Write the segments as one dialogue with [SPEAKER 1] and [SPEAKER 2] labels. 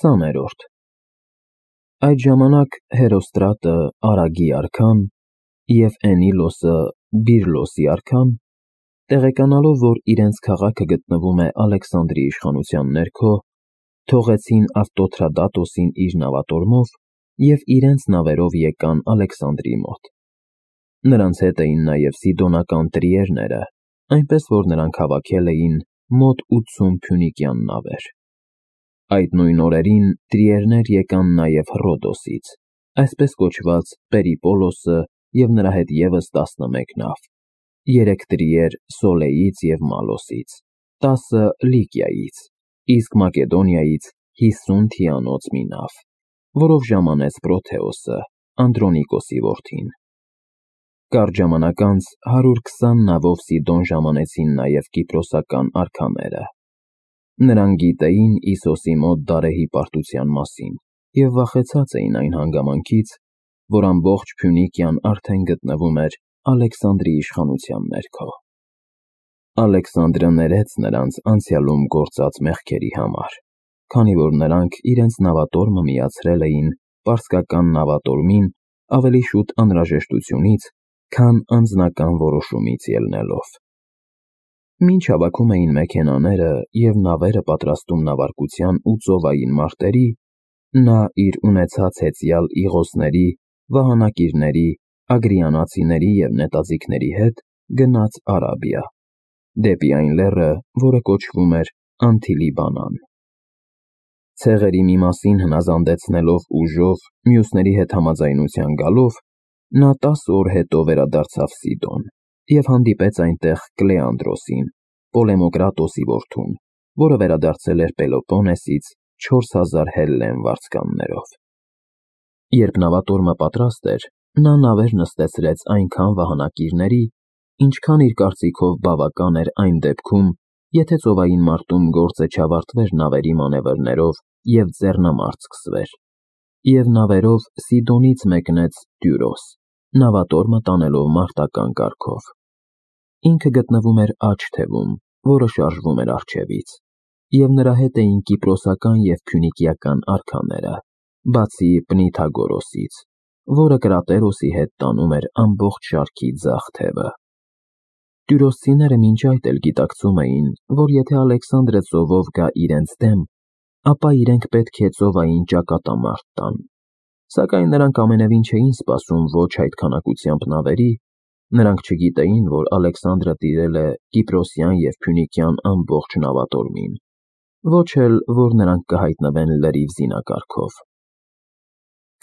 [SPEAKER 1] 20-րդ Այդ ժամանակ Հերոստրատը, Արագի արքան, և Էնիլոսը, Բիրլոսի արքան, տեղեկանալով, որ իրենց քաղաքը գտնվում է Ալեքսանդրի իշխանության ներքո, թողեցին Ավտոթրադատոսին իր նավատորմով և իրենց նավերով եկան Ալեքսանդրի մոտ։ Նրանց հետ էին նաև սիդոնական տրիերները, այնպես որ նրանք հավաքել էին մոտ 80 փյունիկյան նավեր։ Այդ նույն օրերին տրիերներ եկան նաև Հռոդոսից, այսպես կոչված Պերիպոլոսը և նրա հետ ևս 11 նավ, 3 տրիեր Սոլեից և Մալոսից, 10 Լիկիայից, իսկ Մակեդոնիայից 50 թիանոց մի նավ, որով ժամանեց Պրոթեոսը, Անդրոնիկոսի որդին։ Կարճ ժամանակ անց 120 նավով Սիդոն ժամանեցին նաև կիպրոսական արքաները։ Նրանք գիտեին Իսոսի մոտ Դարեհի պարտության մասին և վախեցած էին այն հանգամանքից, որ ամբողջ Փյունիկիան արդեն գտնվում էր Ալեքսանդրի իշխանության ներքո։ Ալեքսանդրը ներեց նրանց անցյալում գործած մեղքերի համար, քանի որ նրանք իրենց նավատորմը միացրել էին պարսկական նավատորմին ավելի շուտ անհրաժեշտությունից, քան անձնական որոշումից ելնելով։ Մինչ հավաքում էին մեքենաները և նավերը պատրաստում նավարկության ու ծովային մարտերի, նա իր ունեցած հեծյալ Իղոսների, վահանակիրների, ագրիանացիների և նետաձիգների հետ գնաց Արաբիա, դեպի այն լեռը, որը կոչվում էր Անթիլիբանան։ Ցեղերի մի մասին հնազանդեցնելով ուժով, մյուսների հետ համաձայնության գալով, նա 10 օր հետո վերադարձավ Սիդոն և հանդիպեց այնտեղ Կլեանդրոսին, Պոլեմոկրատոսի որդուն, որը վերադարձել էր Պելոպոնեսից 4000 հելլեն վարձկաններով։ Երբ նավատորմը պատրաստ էր, նա նավեր նստեցրեց այնքան վահանակիրների, ինչքան իր կարծիքով բավական էր այն դեպքում, եթե ծովային մարտում գործը չավարտվեր նավերի մանևրներով և ձեռնամարտ սկսվեր, և նավերով Սիդոնից մեկնեց Տյուրոս, նավատորմը տանելով մարտական կարգով։ Ինքը գտնվում էր աջ թևում, որը շարժվում էր առջևից, և նրա հետ էին կիպրոսական և փյունիկիական արքաները, բացի Պնիթագորոսից, որը Կրատերոսի հետ տանում էր ամբողջ շարքի ձախ թևը։ Տյուրոսցիները մինչ այդ էլ գիտակցում էին, որ եթե Ալեքսանդրը ծովով գա իրենց դեմ, ապա իրենք պետք է ծովային ճակատամարտ տան, սակայն նրանք ամենևին չէին սպասում ոչ այդ քանակությամբ նավերի, նրանք չգիտեին, որ Ալեքսանդրը տիրել է Կիպրոսյան և Փյունիկյան ամբողջ նավատորմին, ոչ էլ, որ նրանք կհայտնվեն լրիվ զինակարգով։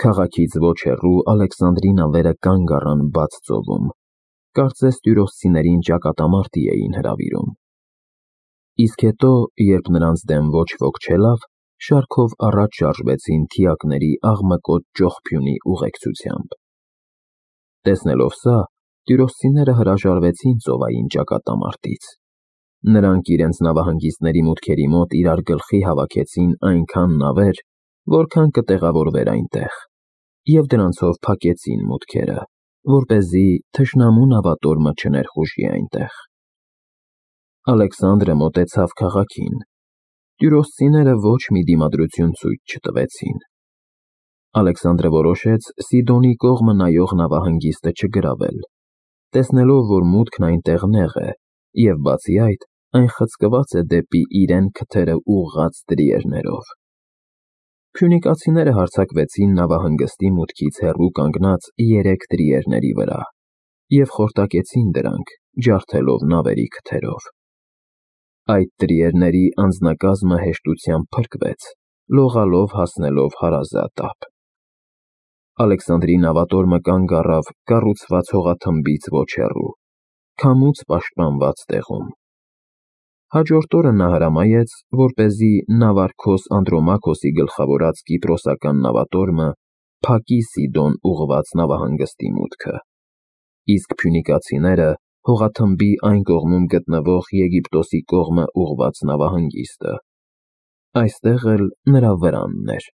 [SPEAKER 1] Քաղաքից ոչ հեռու Ալեքսանդրի նավերը կանգ առան բաց ծովում, կարծես տյուրոսցիներին ճակատամարտի էին հրավիրում։ Իսկ հետո, երբ նրանց դեմ ոչ ոք չելավ, շարքով առաջ շարժվեցին թիակների աղմկոտ ճոխփյունի ուղեկցությամբ։ Տեսնելով սա, տյուրոսցիները հրաժարվեցին ծովային ճակատամարտից։ Նրանք իրենց նավահանգիստների մուտքերի մոտ իրար գլխի հավաքեցին այնքան նավեր, որքան կտեղավորվեր այնտեղ, և դրանցով փակեցին մուտքերը, որպեսզի թշնամու նավատորմը չներխուժի այնտեղ։ Ալեքսանդրը մոտեցավ քաղաքին։ Տյուրոսցիները ոչ մի դիմադրություն ցույց չտվեցին։ Ալեքսանդրը որոշեց Սիդոնի կողմը նայող նավահանգիստը չգրավել, տեսնելով, որ մուտքն այնտեղ նեղ է, և բացի այդ, այն խցկված է դեպի իրեն քթերը ուղղած տրիերներով։ Փյունիկացիները հարձակվեցին նավահանգստի մուտքից հեռու կանգնած 3 տրիերների վրա և խորտակեցին դրանք, ջարդելով նավերի քթերով։ Այդ տրիերների անձնակազմը հեշտությամբ փրկվեց, լողալով հասնելով հարազատ ափ։ Ալեքսանդրի նավատորմը կանգ առավ կառուցված հողաթմբից ոչ հեռու, քամուց պաշտպանված տեղում։ Հաջորդ օրը նա հրամայեց, որպեսզի նավարկոս Անդրոմաքոսի գլխավորած կիպրոսական նավատորմը փակի Սիդոն ուղղված նավահանգստի մուտքը, իսկ փյունիկացիները հողաթմբի այն կողմում գտնվող Եգիպտոսի կողմը ուղղված նավահանգիստը։ Այստեղ էլ նրա վրանն էր,